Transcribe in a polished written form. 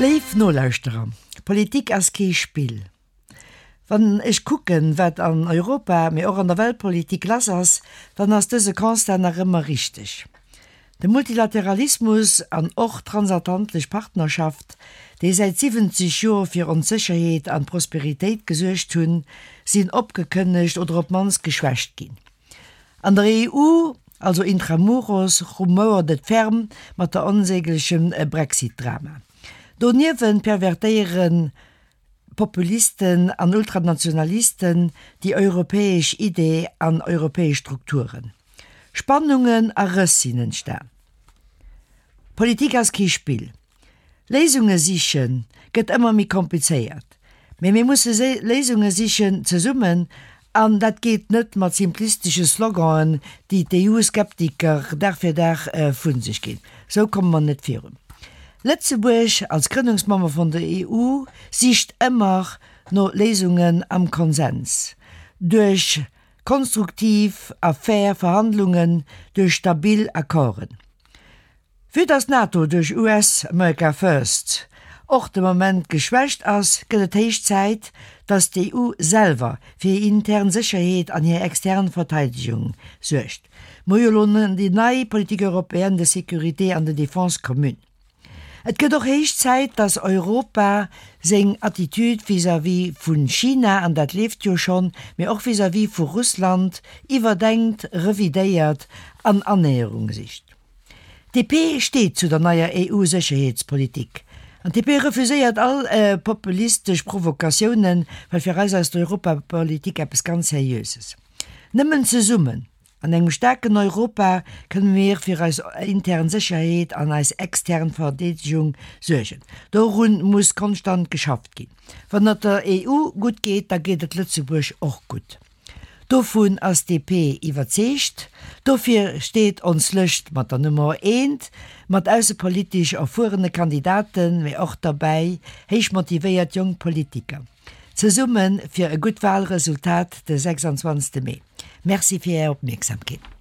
Léif Nolauschterer, Politik ass kee Spill. Wann ech kucken, wat an Europa, mee och an der Weltpolitik lass ass, dann ass dëse Constat nach ëmmer richteg. De Multilateralismus an och d'transatlantesch Partnerschaft, déi säit 70 Joer fir ons Sécherheet an Prosperitéit gesuergt hunn, sinn opgekënnegt oder op d'mannst geschwächt ginn. An der EU, also intramuros, rumouert et ferm mat der onsäglechem Brexit-Drama. Doniewent pervertéieren Populisten an Ultranationalisten déi europäesch Idee an europäesch Strukturen. Spannungen a Rëss sinn entstan. Politik ass kee Spill. Léisunge siche gëtt ëmmer méi komplizéiert. Mee mir musse Léisunge sichen, zesummen, an dat geet net mat simplistesche Sloganen, déi d'EU-Skeptiker Dag fir Dag vu sech ginn. Esou komme mer net virun. Lëtzebuerg als Grënnungsmember vun der EU sicht ëmmer no Léisungen am Konsens, duerch konstruktiv a fair Verhandlungen, duerch stabil Accorden. Vue dass d'NATO duerch US America First och de Moment geschwächt ass, gëtt et héich Zäit, dass d'EU selwer fir hir intern Sécherheet an hir extern Verteidegung suergt. Mer hu jo elo déi nei Politique européenne de sécurité an de défense commune. Et gëtt och héich Zäit, dass Europa seng Attitude vis-à-vis vu China, an dat leeft jo schonn, mee och vis-à-vis vu Russland iwwerdenkt, revidéiert an Annäherung sicht. D'DP steet zu der neier EU-Sécherheetspolitik. An d'DP refuséiert all populistesch Provokatiounen, well fir eis ass d'Europapolitik eppes ganz Seriöses. Nëmmen zesummen, an engem staarken Europa, kënne mir fir eis intern Sécherheet an eis extern Verdeedegung suergen. Dorun muss konstant geschafft ginn. Wann et der EU gutt geet, da geet et Lëtzebuerg och gutt. Dovun ass DP iwwerzeegt. Dofir steet ons Lëscht mat der Nummer eent, mat aussepolitesch erfuerene Kandidaten, mee och derbäi héich motivéiert jonk Politiker. Zesumme fir e gutt Wahlresultat de 26 Mee. Merci fir Är Opmierksamkeet.